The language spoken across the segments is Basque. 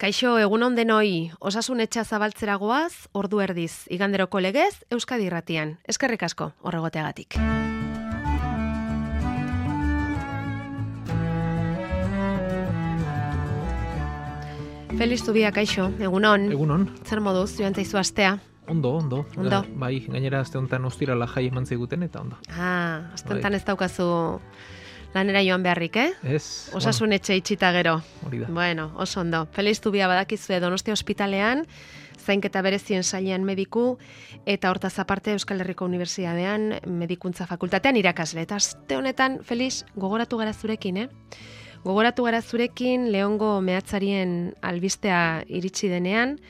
Kaixo, egunon denoi, osasun etxa zabaltzera goaz, ordu erdiz, iganderoko legez, Euskadi Irratian. Eskerrik asko, horregoteagatik. Feliz Zubia, kaixo, egunon. Egunon. Zer moduz, joan zaizu astea? Ondo. Ondo. Bai, gainera aste honetan ostirala jai eman ziguten eta ondo. Aste honetan ez daukazu lanera joan beharrik, Ez. Osasun etxe itxita gero. Hori da. Bueno, oso ondo. Feliz Zubia badakizue Donostia ospitalean, zainketa berezien sailean mediku, eta hortaz aparte Euskal Herriko Unibertsitatean medikuntza fakultatean irakasle. Eta aste honetan, Feliz, gogoratu gara zurekin, Gogoratu gara zurekin Leongo mehatzarien albistea iritsi denean,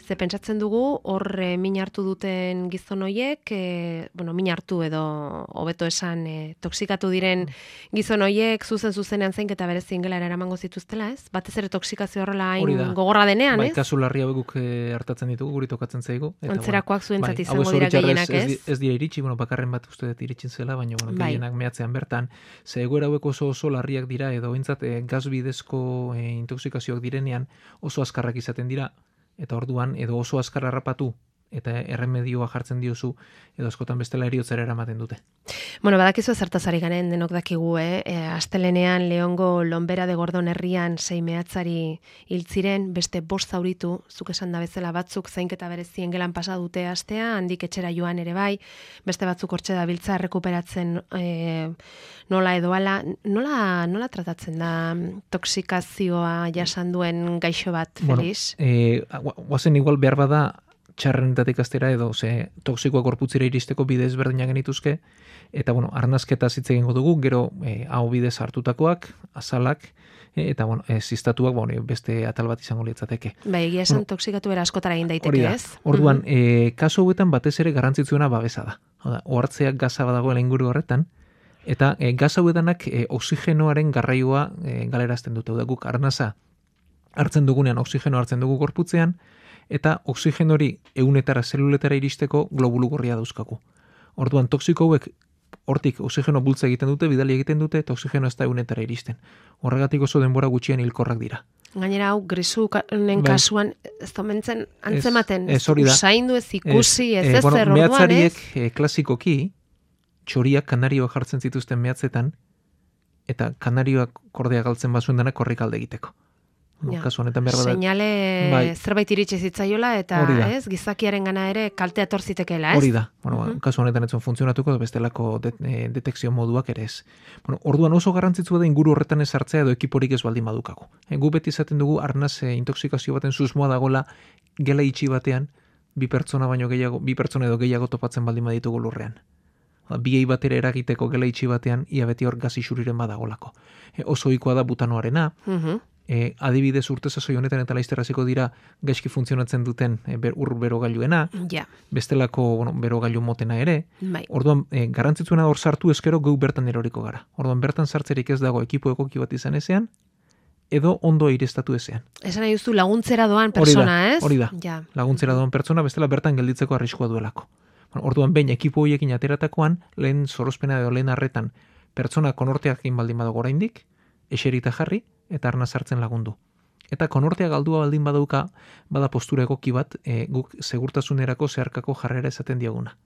ze pentsatzen dugu hor min hartu duten gizon hoiek, min hartu edo hobeto esan toksikatu diren gizon hoiek zuzenean zainketa berezien gelara eramango zituztela, ez? Batez ere toksikazio horrela hain gogorra denean, ez? Ez? Bai, kasu larri hauek hartatzen ditugu, guri tokatzen zaigu. Antzerakoak zuentzat izango dira gehienak, ez? Ez dira iritsi, bakarren bat uste dut iritsin zela, baina gehienak mehatzean bertan. Ze egoera hauek oso larriak dira, edo behintzat gas bidezko intoksikazioak direnean oso azkarrak izaten dira, eta orduan edo oso azkar harrapatu eta erremedioa jartzen diozu, edo askotan bestela heriotzara eramaten dute. Badakizu zertaz ari garen denok dakigu, astelenean Leongo Lonbera de Gordon herrian 6 mehatzari hil ziren, beste 5 zauritu, zuk esan da bezala batzuk zainketa berezien gelan pasa dute astea, handik etxera joan ere bai, beste batzuk hortxe dabiltza errekuperatzen nola edo ala, nola tratatzen da toksikazioa jasan duen gaixo bat, Feliz? Guazen igual behar bada txarrenetatik astera edo toksikoa gorputzera iristeko bide ezberdinak genituzke, eta arnazketa hitz egingo dugu, gero hau bidez hartutakoak, azalak, eta zistatuak beste atal bat izango litzateke. Egia esan toksikatu bera askotara egin daiteke, ez? Orduan, kasu hauetan batez ere garrantzitsuena babesa da. Ohartzeak gaza badagoela inguru horretan, eta gaz hauetanak oxigenoaren garraioa galerazten dute. Guk arnaza hartzen dugunean oxigeno hartzen dugu gorputzean, eta oxigeno hori ehunetara zeluletara iristeko globulu gorria dauzkagu. Orduan toksiko hauek hortik oxigeno bultza egiten dute, bidali egiten dute, eta oxigeno ez da ehunetara iristen. Horregatik oso denbora gutxien hilkorrak dira. Gainera hau grisunen kasuan ez domentzen antzematen, usaindu ez ikusi, ez zer orduan, ez? Mehatzariek klasikoki txoriak kanarioak jartzen zituzten mehatzetan, eta kanarioak kordea galtzen bazuen denak korrik alde egiteko. Kasu honetan behar bada. Seinale zerbait iritsi zitzaiola eta gizakiaren gana ere kaltea etor zitekeela, ez? Hori da. Kasu honetan ez zuen funtzionatuko bestelako detekzio moduak ere ez. Orduan oso garrantzitsua da inguru horretan ez hartzea edo ekiporik ez baldin badukagu. Gu beti izaten dugu arnaz intoksikazio baten susmoa dagola gela itxi batean bi pertsona edo gehiago topatzen baldin baditugu lurrean. Biei batera eragiteko gela itxi batean ia beti hor gas isuriren badagolako. Oso ohikoa da butanoarena. Adibidez urte sasoi honetan eta laizter hasiko dira gaizki funtzionatzen duten berogailuena, bestelako berogailu motena ere. Orduan garrantzitsuena hor sartu eskero geu bertan eroriko gara. Orduan bertan sartzerik ez dago ekipo egoki bat izan ezean, edo ondo irestatu ezean. Esan nahi duzu laguntzera doan persona, ez? Hori da. Laguntzera doan persona bestela bertan gelditzeko arriskua duelako. Orduan behin ekipo horiekin ateratakoan, lehen sorospena edo lehen arretan pertsona konorteakin baldin badago oraindik, eserita jarri, eta arnaz hartzen lagundu. Eta konortea galdua baldin badauka, bada postura egoki bat, guk segurtasunerako zeharkako jarrera esaten diaguna.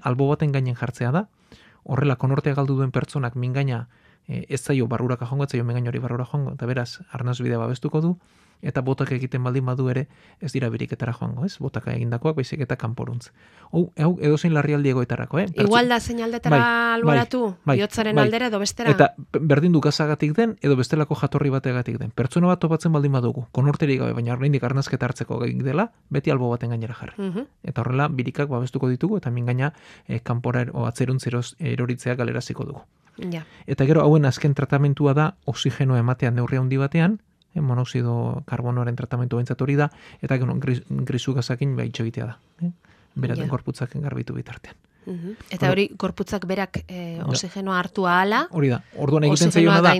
Albo baten gainen jartzea da, horrela konortea galdu duen pertsonak mingaina ez zaio barruraka joango, ez zaio mingaina hori barrura joango, eta beraz, arnaz bidea babestuko du, eta botak egiten baldin badu ere ez dira biriketara joango, ez? Botaka egindakoak baizik eta kanporuntz. Hau edozein larrialdi egoetarako, Igual da seinaldetara alboratu, bihotzaren aldera edo bestera. Eta berdin du gazagatik den edo bestelako jatorri bategatik den. Pertsona bat topatzen baldin badugu, konorterik gabe, baina oraindik arnazketa hartzeko gaik dela, beti albo baten gainera jarri. Eta horrela birikak babestuko ditugu eta mingaina kanpora atzeruntzeroz eroritzea galeraziko dugu. Eta gero hauen azken tratamentua da oxigeno ematean neurri handi batean, monoxido karbonoaren tratamentu behintzat hori da, eta grisu gazakin itxo egitea da. Beraten gorputzak garbitu bitartean. Eta hori gorputzak berak oxigenoa hartu ahala, hori da. Orduan egiten zaiona da,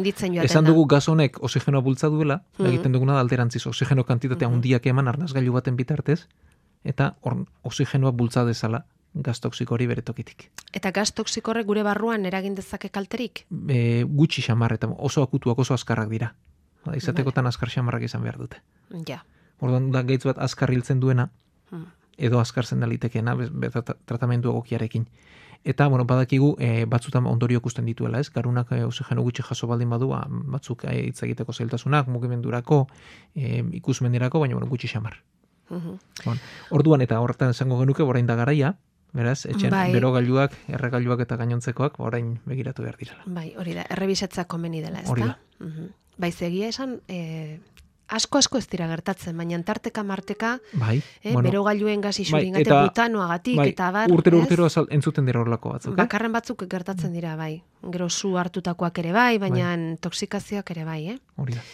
esan dugu gaz honek oxigenoa bultza duela, egiten duguna da alterantziz, oxigeno kantitatea handiak eman arnazgailu baten bitartez, eta oxigenoa bultza dezala gaz toksiko hori bere tokitik. Eta gaz toksiko horrek gure barruan eragin dezake kalterik? Gutxi xamar, eta oso akutuak oso azkarrak dira. Izatekotan azkar xamarrak izan behar dute. Orduan da gaitz bat azkar hiltzen duena, edo azkar zen dalitekeena, tratamendu egokiarekin. Eta, badakigu, batzutan ondorio ikusten dituela, ez? Garunak oxigeno gutxi jaso baldin badu, batzuk hitz egiteko zailtasunak, mugimendurako, ikusmendirako, baina gutxi xamar. Orduan, eta horretan esango genuke, orain da garaia, beraz, etxen berogailuak, erregailuak eta gainontzekoak, orain begiratu behar direla. Bai, hori da, errebisatzea komeni dela, ez da? Hori da. Bai, zegia esan, asko ez dira gertatzen, baina tarteka marteka, berogailuen gazi xuringate butanoagatik, eta bar, urtero entzuten dira horlako batzuk. Bakarren batzuk gertatzen dira, bai. Gero zu hartutakoak ere bai, baina toksikazioak ere bai, Hori da.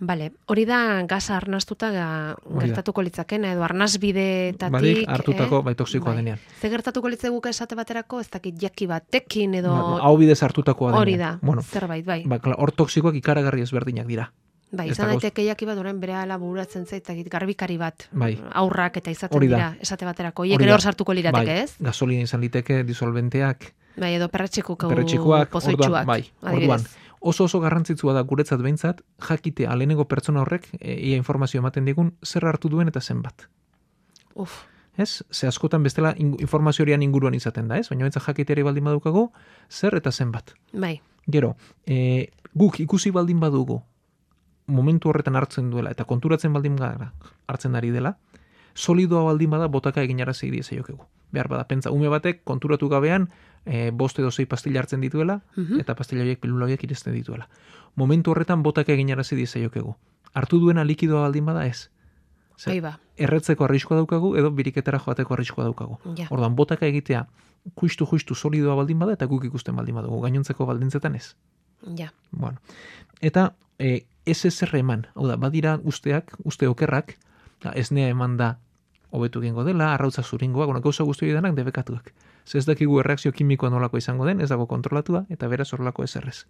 Bale, hori da gaza arnastuta gertatuko litzakena, edo arnasbideetatik. Badik hartutako toksikoa denean. Ze gertatuko litzeguke esate baterako, ez dakit jaki batekin edo... Hau bidez hartutakoa denean. Hori da, zerbait, bai. Hor toksikoak ikaragarri ezberdinak dira. Bai, izan daiteke jaki bat orain bere ala bururatzen zaitakit garbikari bat, aurrak eta izaten dira, esate baterako. Hiek ere hor sartuko lirateke, ez? Gasolina izan liteke, disolventeak. Bai, edo perretxikoak, pozoitxuak. Bai, orduan. Oso garrantzitsua da guretzat behintzat, jakitea lehenengo pertsona horrek, ia informazio ematen digun, zer hartu duen eta zenbat. Ez? Ze askotan bestela informazio horian inguruan izaten da, ez? Baina behintzat jakiteari baldin badukago, zer eta zenbat. Bai. Gero, guk ikusi baldin badugu, momentu horretan hartzen duela, eta konturatzen baldin gara hartzen ari dela, solidoa baldin bada botaka eginarazi diezaiokegu. Behar bada, pentsa, ume batek konturatu gabean, 5 edo 6 pastilla hartzen dituela, eta pastilla horiek, pilula horiek iristen dituela. Momentu horretan botaka eginarazi diezaiokegu. Hartu duena likidoa baldin bada ez. Erretzeko arriskoa daukagu, edo biriketara joateko arriskoa daukagu. Orduan, botaka egitea, justu solidoa baldin bada, eta guk ikusten baldin badugu, gainontzeko baldintzetan ez. Bueno. Eta, ez eman, hau da, badira uste okerrak, esnea eman da hobetu egingo dela, arrautza zuringoa, gauza guzti hori denak debekatuak. Ez dakigu erreakzio kimikoa nolako izango den, ez dago kontrolatua, eta beraz horrelako ez errez.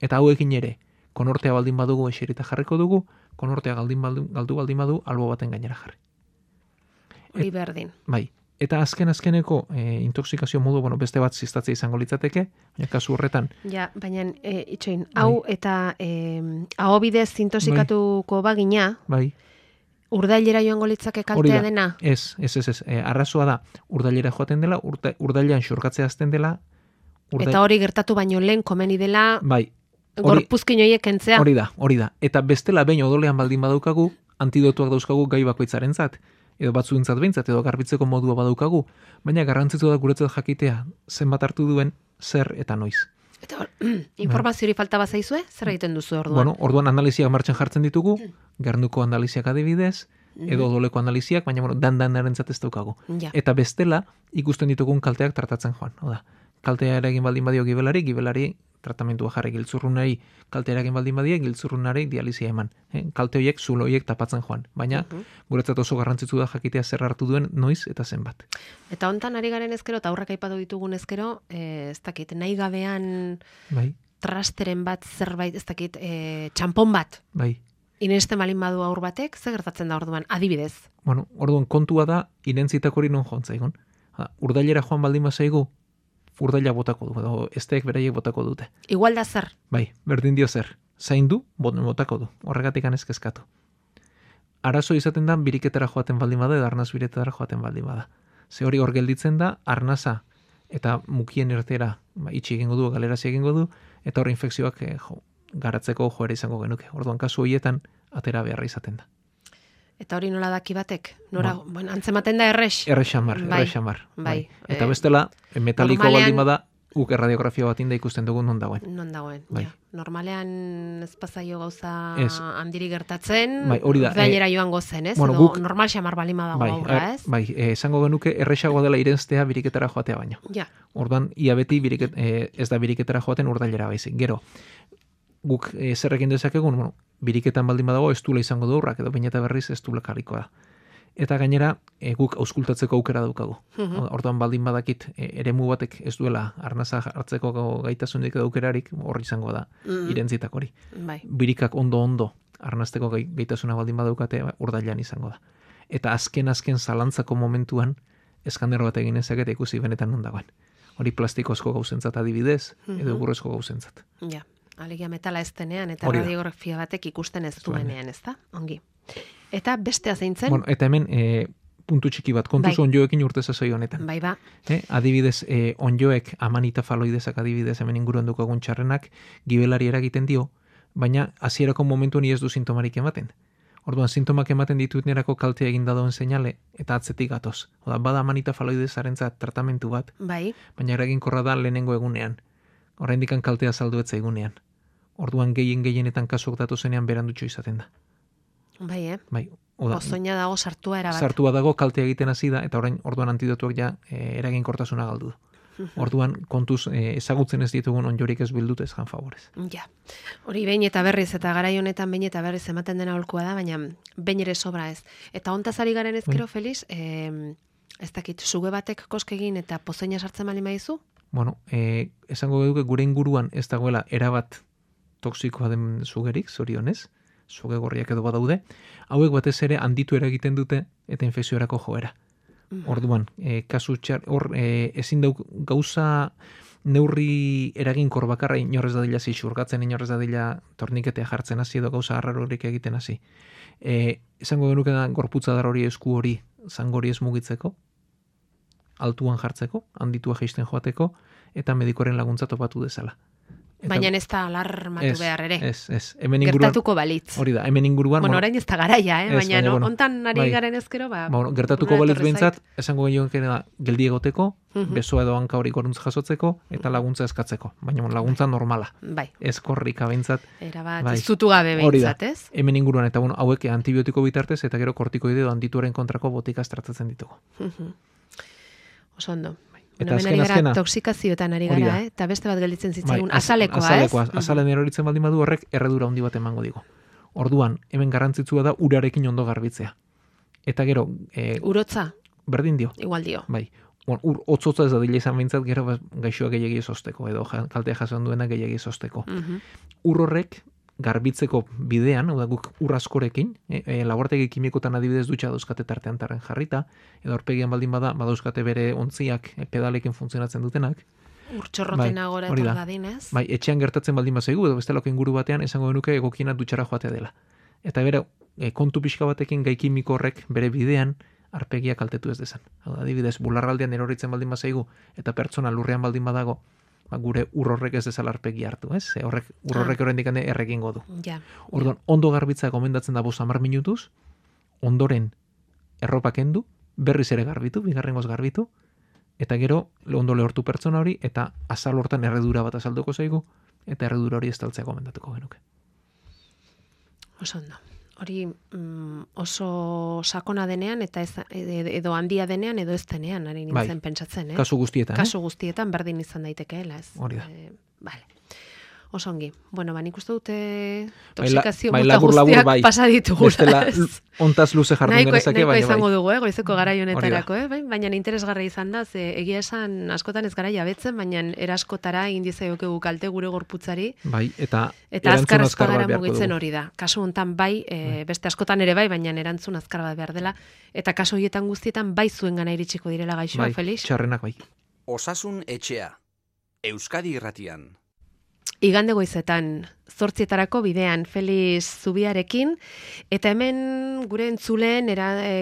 Eta hauekin ere, konortea baldin badugu eserita jarriko dugu, konortea galdu baldin badu, albo baten gainera jarri. Hori berdin. Bai. Eta azkeneko intoxikazio modu, beste bat ziztatzea izango litzateke, baina kasu horretan. Ja, baina itxoin, hau eta hau bidez intoxikatuko bagina, urdailera joango litzake kaltea dena? Ez. Arrazoa da, urdailera joaten dela, urdailean xurkatzea azten dela. Eta hori gertatu baino lehen komeni dela, gorpuzkin horiek kentzea. Hori da. Eta bestela behin odolean baldin badaukagu, antidotuak dauzkagu gai bakoitzaren zat, edo batzuentzat behintzat, edo garbitzeko modua badaukagu, baina garrantzitsu da guretzat jakitea zenbat hartu duen, zer eta noiz. Eta informazio hori falta bazaizue, zer egiten duzu orduan? Orduan analiziak martxan jartzen ditugu, gernuko analiziak adibidez, edo odoleko analiziak, baina dan-danaren ez daukagu. Eta bestela, ikusten ditugun kalteak tratatzen joan. Oda, kaltea eragin baldin badio gibelari tratamentua jarri giltzurrunari, kaltea eragin baldin badio giltzurrunari dializia eman. Kalte horiek, zulo horiek tapatzen joan. Baina, guretzat oso garrantzitsu da jakitea zer hartu duen noiz eta zenbat. Eta hontan ari garen ezkero, eta aurrak aipatu ditugun ezkero, ez dakit, nahi gabean trasteren bat zerbait, ez dakit, txampon bat. Inesten balin badu aur batek, zer gertatzen da orduan, adibidez? Orduan kontua da, inentzitak hori non jontzaigun. Urdailera joan baldin bazaigu, urdaila botako du, edo esteek beraiek botako dute. Igual da zer? Bai, berdin dio zer. Zain du, botako du. Horregatik anezkezkatu. Arazo izaten da, biriketara joaten baldin bada, edo arnaz biriketara joaten baldin bada. Ze hori hor gelditzen da, arnaza eta mukien ertera itxi egingo du, galerazi egingo du, eta hor infekzioak garatzeko joera izango genuke. Orduan kasu horietan, atera beharra izaten da. Eta hori nola daki batek? Antzematen da errex? Errexamar. Bai. Eta bestela, metaliko baldin bada, guk erradiografia bat inda ikusten dugu non dagoen. Normalean ez pasaio gauza handiri gertatzen, hori da. Urdailera joango zen, ez? Edo normal xamar balin badago aurra, ez? Bai, esango genuke errexagoa dela irenztea biriketara joatea baino. Orduan, ia beti ez da biriketara joaten urdailera baizik. Gero, guk zerrekin dezakegun, biriketan baldin badago ez duela izango du aurrak, edo baineta berriz ez duela karrikoa da. Eta gainera, guk auskultatzeko aukera daukagu. Orduan baldin badakit, eremu batek ez duela arnaza hartzeko gaitasunik edo aukerarik, hor izango da, irentzitak hori. Birikak ondo arnazteko gaitasuna baldin badaukate, urdailean izango da. Eta azken zalantzako momentuan, eskandero bat egin ezak eta ikusi benetan non dagoen. Hori plastikozko gauzentzat adibidez, edo gurrezko gauzentzat. Alegia metala ez denean, eta radiografia batek ikusten ez duenean, ez da? Ongi. Eta bestea zein zen? Bueno, eta hemen puntu txiki bat, kontuz onjoekin urte sasoi honetan. Bai, ba. Adibidez, onjoek amanita faloidezak adibidez hemen inguruan dukagun txarrenak gibelari eragiten dio, baina hasierako momentu ni ez du sintomarik ematen. Orduan, sintomak ematen dituenerako kaltea egin dadoen seinale, eta atzetik gatoz. Oda, bada amanita faloidezarentzat tratamentu bat, bai. Baina eraginkorra da lehenengo egunean. Oraindikan kaltea saldu etza egunean. Orduan gehienetan kasok datozenean berandutxo izaten da. Bai, Bai, oda. Pozoina dago sartua erabat. Sartua dago, kaltea egiten hasi da, eta orduan antidotuak ja eraginkortasuna galdu du. Orduan, kontuz ezagutzen ez ditugun onjorik ez bildut ez jan favorez. Ja, hori behin eta berriz, eta garai honetan behin eta berriz ematen dena holkoa da, baina behin ere sobra ez. Eta hontaz ari garen ezkero, Feliz, ez dakit, suge batek koskegin eta pozoina sartzen bali maizu? Bueno, esango duke gure inguruan ez dagoela erabat toksikoa den sugerik, zorionez, suge gorriak edo badaude, hauek batez ere handitu eragiten dute eta infekziorako joera. Orduan, kasu txar, ezin dauk gauza neurri eraginkor bakarra inorrez dadila xurgatzen, inorrez dadila torniketea jartzen hasi edo gauza harrarorik egiten hasi. Esango genuke da gorputza dar hori esku hori zangori ez mugitzeko, altuan jartzeko, handitua jaisten joateko, eta medikoren laguntza topatu dezala. Baina ez da alarmatu behar ere. Ez. Hemen inguruan, gertatuko balitz. Hori da, hemen inguruan... Bueno, orain ez da garaia, baina bueno, ontan ari garen ezkero, gertatuko balitz behintzat, esango gehiagoen da, geldi egoteko, besoa edo hanka hori goruntz jasotzeko, eta laguntza eskatzeko. Baina laguntza normala. Bai. Ez korrika behintzat. Erabat, ez zutu gabe behintzat, ez? Hemen inguruan, eta hauek antibiotiko bitartez, eta gero kortikoide edo handituaren kontrako botikaz tratatzen ditugu. Oso ondo. Eta azkena toksikazioetan ari gara, eta beste bat gelditzen zitzaigun azalekoa, ez? Azalen eroritzen baldin badu horrek erredura handi bat emango digu. Orduan, hemen garrantzitsua da urarekin ondo garbitzea. Eta gero... urotza? Berdin dio. Igual dio. Bai. Ur otzotza ez da dile izan behintzat, gero gaixoa gehiagi ezosteko, edo kaltea jasan duena gehiagi ezosteko. Ur horrek garbitzeko bidean, hau da guk ur askorekin, laborategi kimikotan adibidez dutxa dauzkate tartean jarrita, edo aurpegian baldin badauzkate bere ontziak pedalekin funtzionatzen dutenak. Urtxorroten agora etor dadinez. Bai, etxean gertatzen baldin bazaigu, edo bestelako inguru batean esango genuke egokiena dutxara joatea dela. Eta bere, kontu pixka batekin gai kimiko horrek bere bidean arpegia kaltetu ez dezan. Adibidez, bularraldean eroritzen baldin bazaigu, eta pertsona lurrean baldin badago, gure ur horrek ez dezala arpegi hartu, ez? Ur horrek oraindik erregingo du. Orduan, ondo garbitza gomendatzen da 10 minutuz, ondoren erropa kendu, berriz ere garbitu, bigarrengoz garbitu, eta gero ondo lehortu pertsona hori, eta azal hortan erredura bat azalduko zaigu, eta erredura hori estaltzea gomendatuko genuke. Oso ondo. Hori oso sakona denean, eta edo handia denean, edo ez denean, ari nintzen pentsatzen, eh? Kasu guztietan, Kasu guztietan berdin izan daitekeela, ez? Hori da. Vale. Oso ongi. Bueno, nik uste dute toksikazio mota labur, guztiak bai. pasa ditugula. Bestela, ontaz luze jardun genezake, baina bai. Izango dugu, goizeko garai honetarako, baina interesgarra izan da, ze egia esan askotan ez gara jabetzen, baina eraskotara indizaiokegu kalte gure gorputzari. Bai, eta azkar gara mugitzen hori da. Kasu hontan bai, beste askotan ere bai, baina erantzun azkar bat behar dela, eta kasu horietan guztietan bai zuen gana iritsiko direla gaixoa, Felix? Bai, txarrenak bai. Osasun etxea, Euskadi Irratian. Igande goizetan, 8:00 bidean, Feliz Zubiarekin, eta hemen gure entzuleen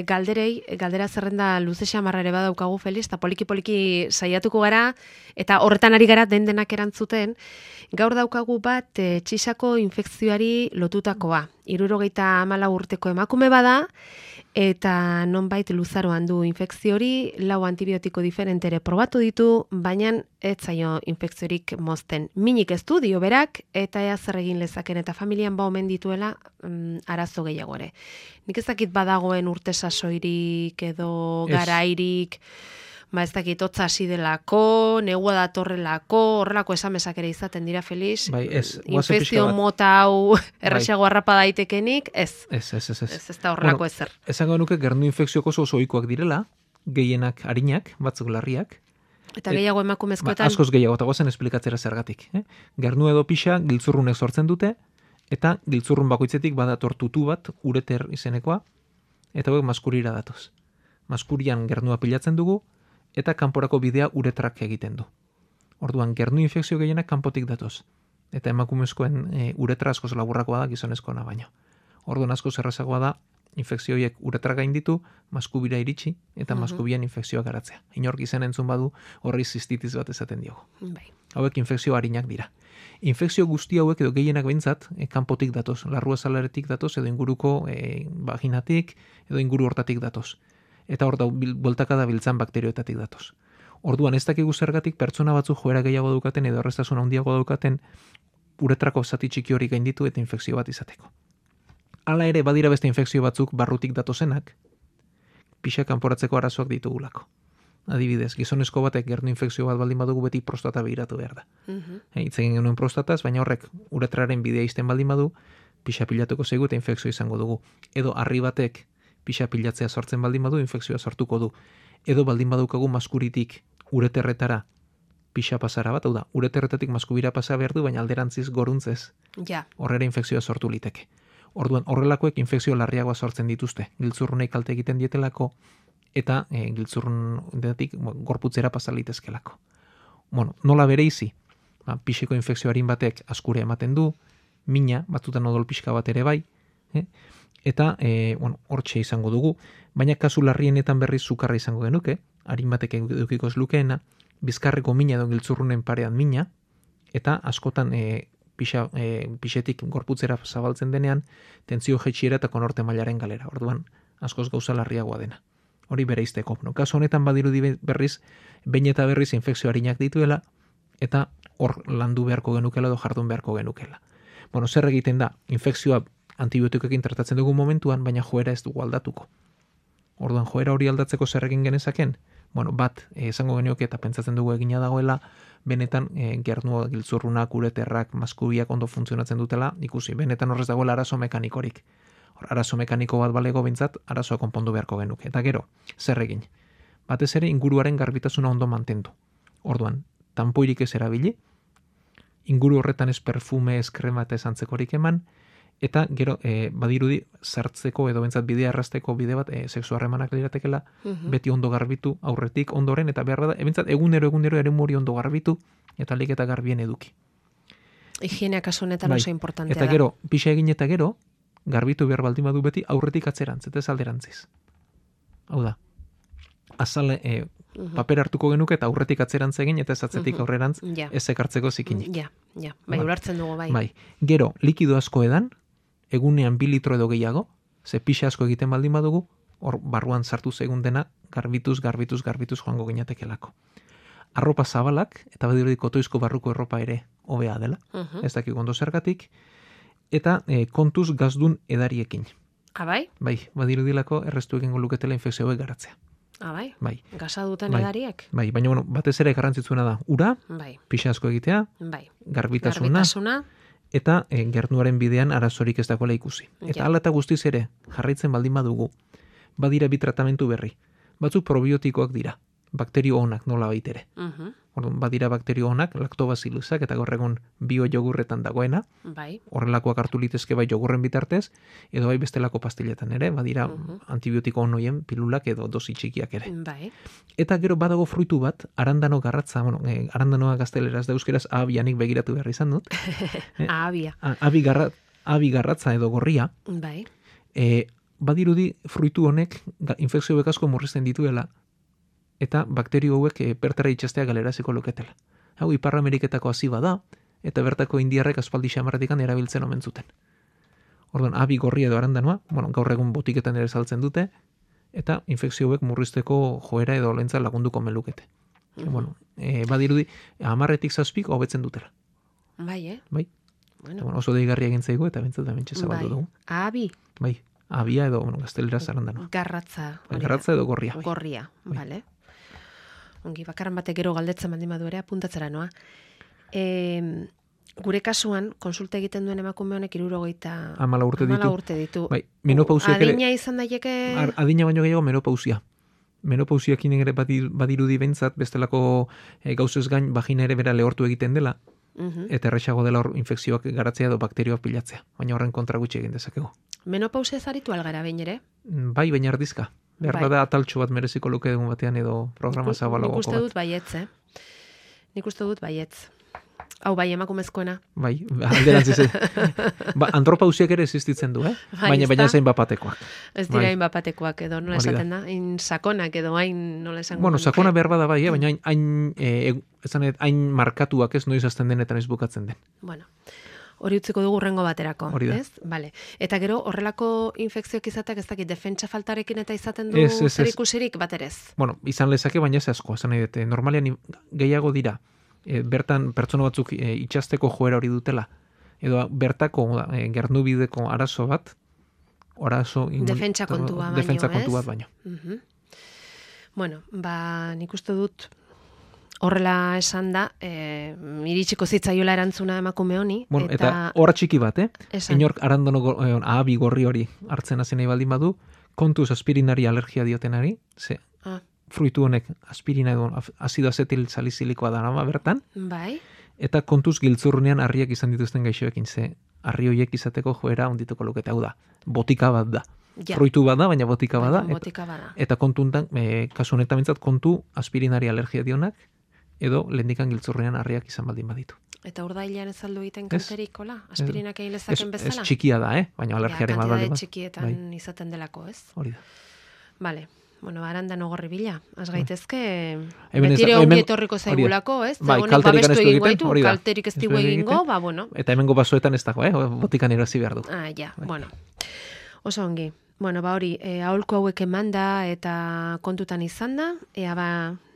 galdera zerrenda luze xamarra ere badaukagu, Feliz, eta poliki-poliki saiatuko gara, eta horretan ari gara denak erantzuten. Gaur daukagu bat txisako infekzioari lotutakoa. 74 urteko emakume bada, eta nonbait luzaroan du infekzio hori, 4 antibiotiko diferentere probatu ditu, baina ez zaio infekziorik mozten. Minik ez du, dio berak, eta ea zer egin lezaken, eta familian omen dituela arazo gehiago ere. Nik ez dakit badagoen urte sasoirik edo garairik, ez dakit hotza hasi delako, negua datorrelako, horrelako esamesak ere izaten dira, Felix. Bai, ez. Infekzio mota hau erresago harrapa daitekenik, ez. Ez da horrelako ezer. Esango nuke gernu infekzioko oso ohikoak direla, gehienak arinak, batzuk larriak. Eta gehiago emakumezkoetan. Askoz gehiago, eta gozen esplikatzera zergatik. Gernu edo pixa giltzurrunek sortzen dute, eta giltzurrun bakoitzetik badator tutu bat, ureter izenekoa, eta hauek maskurira datoz. Maskurian gernua pilatzen dugu, eta kanporako bidea uretrak egiten du. Orduan, gernu infekzio gehienak kanpotik datoz. Eta emakumezkoen uretra askoz laburrakoa da gizonezkoena baino. Orduan askoz errazagoa da infekzioiek uretra gainditu, maskubira iritsi, eta maskubian infekzioa garatzea. Inork izen entzun badu, horri zistitiz bat esaten diogu. Bai. Hauek infekzio arinak dira. Infekzio guzti hauek edo gehienak behintzat, kanpotik datoz, larruazalaretik datoz, edo inguruko vaginatik, edo inguru hortatik datoz. Eta hor da, bueltakada biltzan bakterioetatik datoz. Orduan, ez dakigu zergatik pertsona batzu joera gehiago daukaten edo erreztasun handiago daukaten uretrako zati txiki hori gainditu eta infekzio bat izateko. Hala ere, badira beste infekzio batzuk barrutik datozenak, pixa kanporatzeko arazoak ditugulako. Adibidez, gizonezko batek gernu infekzio bat baldin badugu beti prostata begiratu behar da. Hitz egin genuen prostataz, baina horrek uretraren bidea izten baldin badu, pixa pilatuko zaigu eta infekzio izango dugu. Edo harri batek pixa pilatzea sortzen baldin badu, infekzioa sortuko du. Edo baldin badukagu maskuritik ureterretara pixa pasara bat, hau da, ureterretatik maskubira pasa behar du, baina alderantziz goruntzez. Ja. Horrera infekzioa sortu liteke. Orduan, horrelakoek infekzio larriagoa sortzen dituzte. Giltzurrunei kalte egiten dietelako, eta giltzurrunetik gorputzera pasa litezkelako. Bueno, nola bereizi? Pixeko infekzio harin batek askure ematen du, mina, batzutan odol pixka bat ere bai, eta hortxe izango dugu, baina kasu larrienetan berriz sukarra izango genuke, harin batek edukiko ez lukeena, bizkarreko mina edo giltzurrunen parean mina, eta askotan pixetik gorputzera zabaltzen denean, tentzio jetxiera eta konorte mailaren galera. Orduan, askoz gauza larriagoa dena. Hori bereizteko. Kasu honetan badirudi berriz, behin eta berriz infekzio harinak dituela, eta hor landu beharko genukela edo jardun beharko genukela. Zer egiten da? Infekzioa antibiotikoekin tratatzen dugu momentuan, baina joera ez dugu aldatuko. Orduan, joera hori aldatzeko zer egin genezaken? Bat, esango genioke eta pentsatzen dugu egina dagoela, benetan gernua, giltzurrunak, ureterrak, maskubiak ondo funtzionatzen dutela, ikusi, benetan horrez dagoela arazo mekanikorik. Arazo mekaniko bat balego bintzat, arazoa konpondu beharko genuke. Eta gero, zer egin? Batez ere inguruaren garbitasuna ondo mantendu. Orduan, tanpoirik ez erabili, inguru horretan ez perfume, ez krema eta ez antzekorik eman, eta gero badirudi sartzeko edo bentsat bidea errazteko bide bat sexu harremanak liratekela, beti ondo garbitu aurretik ondoren, eta behar da, bentsat egunero eremu hori ondo garbitu, eta alik eta garbien eduki. Higienea kasu honetan oso importantea da. Eta gero, pixa egin eta gero, garbitu behar baldin badu beti aurretik atzerantz, eta ez alderantziz. Hau da, azale paper hartuko genuke eta aurretik atzerantz egin, eta ez atzetik aurrerantz ez ekartzeko zikinik. Bai, ulertzen dugu, bai. Bai, gero, likido asko edan, egunean 2 litro edo gehiago, ze pixa asko egiten baldin badugu, hor barruan sartu zegun dena, garbituz joango ginatekelako. Arropa zabalak, eta badirudi kotoizko barruko erropa ere hobea dela, ez dakik ondo zergatik, eta kontuz gazdun edariekin. Bai? Bai, badirudilako errestu egingo luketela infekzioek garatzea. Bai? Bai. Gaza duten edariek? Bai, baina batez ere garrantzitsuena da, ura, pixa asko egitea, garbitasuna, eta gernuaren bidean arazorik ez dagoela ikusi. Eta hala eta guztiz ere, jarraitzen baldin badugu, badira bi tratamentu berri. Batzuk probiotikoak dira, bakterio onak nola baitere. Orduan, badira bakterio onak, lactobacillusak eta gaur egun bio-jogurretan dagoena, horrelakoak hartu litezke bai jogurren bitartez, edo bai bestelako pastiletan ere, badira antibiotiko onoien pilulak edo dosi txikiak ere. Eta gero badago fruitu bat, arandano garratza, arandanoa gazteleraz da euskeraz abianik begiratu behar izan dut. Abia. Abi garratza edo gorria. Badirudi fruitu honek infekzio asko murrizten dituela, eta bakterio hauek bertara itxastea galeraziko luketela. Hau, Ipar Ameriketako hasi bada, eta bertako indiarrek aspaldi xamarratikan erabiltzen omen zuten. Orduan, abi gorria edo arandanoa, gaur egun botiketan ere saltzen dute, eta infekzio hauek murrizteko joera edo lentza lagunduko melukete. Badirudi, 10-tik 7 hobetzen dutela. Bai, Bai. Oso deigarria egin zaigu, eta bentsat da mentxe zabaldu dugu. Abi? Bai, abia edo gazteleraz arandanoa. Garratza. Garratza edo gorria. Gorria, bale. Ongi, bakarran batek gero galdetzen baldin badu ere, apuntatzera noa. Gure kasuan, konsulta egiten duen emakume honek 14 urte ditu. Bai, menopausiak ere. Adina izan daiteke? Adina baino gehiago menopausia. Menopausiakin ere badirudi bentsat, bestelako gauzez gain vagina ere bera lehortu egiten dela, eta erresago dela hor infekzioak garatzea edo bakterioak pilatzea. Baina horren kontra gutxi egin dezakegu. Menopausia zaritu algara behin ere? Bai, baina ardizka. Behar bada ataltxo bat mereziko luke egun batean edo programa zabalagoako bat. Nik uste dut baietz, Nik uste dut baietz. Hau bai, emakumezkoena. Bai, alderantziz. Antropausiak ere existitzen du, baina zain bapatekoak. Ez dira hain bapatekoak edo, nola esaten da? Hain sakonak edo, hain nola esango. Bueno, sakona behar bada bai, baina hain markatuak ez noiz azten denetan ez bukatzen den. Bueno, hori utziko dugu rengo baterako, ez? Vale. Eta gero, horrelako infekzioak izateak ez dakit, defentsa faltarekin eta izaten du zer ikusirik baterez? Bueno, izan lezake, baina ez asko, esan nahi dute, normalean gehiago dira, bertan pertsona batzuk itxasteko joera hori dutela, edo bertako gernubideko arazo bat, defentsa kontu bat baino. Bueno, nik uste dut horrela esan da, iritsiko zitzaiola erantzuna emakume honi. Bueno, eta horra txiki bat, inork arandono ahabi gorri hori hartzen hasi nahi baldin badu, kontuz aspirinari alergia diotenari, fruitu honek aspirina edo azido azetil salizilikoa da nama bertan. Bai. Eta kontuz giltzurrunean harriak izan dituzten gaixoekin, harri horiek izateko joera ondituko lukete, hau da, botika bat da. Ja. Fruitu bat da, baina botika bat da. Eta kontuntan, kasu honetan bintzat, kontu aspirinari alergia dionak, edo lehendikan giltzurrunean harriak izan baldin baditu. Eta urdailean ez aldu egiten kanterik, hola? Aspirinak egin lezaken bezala? Ez txikia da, baina alergiaren bat baldin bat. Txikietan izaten delako, ez? Hori da. Vale. Bueno, arandan ogorri bila. Az gaitezke, betire ongi etorriko zaigulako, ez? Honek babestu egingo ditu, kalterik ez digu egingo, bueno. Eta hemengo basoetan ez dago, botikan erosi behar du. Bueno. Oso ongi. Bueno, hori, aholku hauek emanda eta kontutan izan da,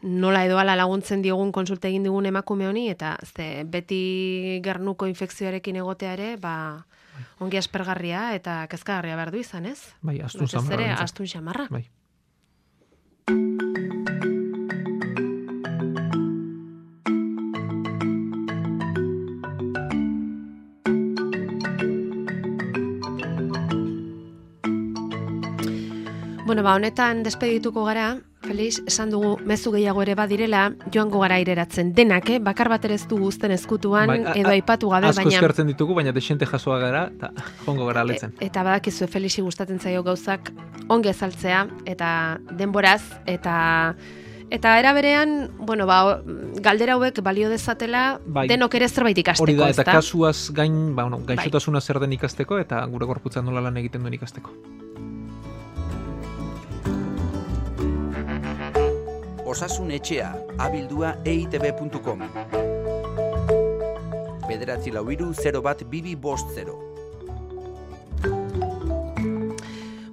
nola edo ala laguntzen diogun konsulta egin digun emakume honi, eta beti gernuko infekzioarekin egotea ere, ongi aspergarria eta kezkagarria behar du izan, ez? Bai, astun samarra. Astun samarra. Bai. Bueno, honetan despedituko gara, Felix, esan dugu mezu gehiago ere badirela, joango gara ireratzen denak, bakar bat ere ez du guzten eskutuan, edo aipatu gabe, baina... Asko eskertzen ditugu, baina desente jasoa gara, eta joango gara aletzen. Eta badakizu, Felixi gustatzen zaio gauzak ongi azaltzea, eta denboraz, eta era berean, bueno, galdera hauek balio dezatela, denok ere zerbait ikasteko, hori da, eta kasuaz gain, gaixotasuna zer den ikasteko, eta gure gorputzan nola lan egiten duen ikasteko. Osasun etxea, abildua eitb.com. 943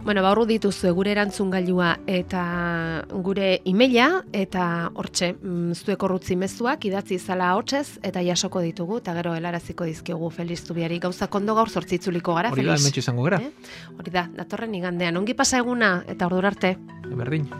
Bueno, hor dituzu gure erantzungailua eta gure emaila, eta hortxe, zuek horrutzi mezuak idatzi izala hotzez, eta jasoko ditugu, eta gero helaraziko dizkigu Felix Zubiari. Gauzak ondo gaur zortzitzuliko gara, Felix. Hori da, hementxe izango gara. Hori da, datorren igandean. Ongi pasa eguna, eta ordura arte. Berdin.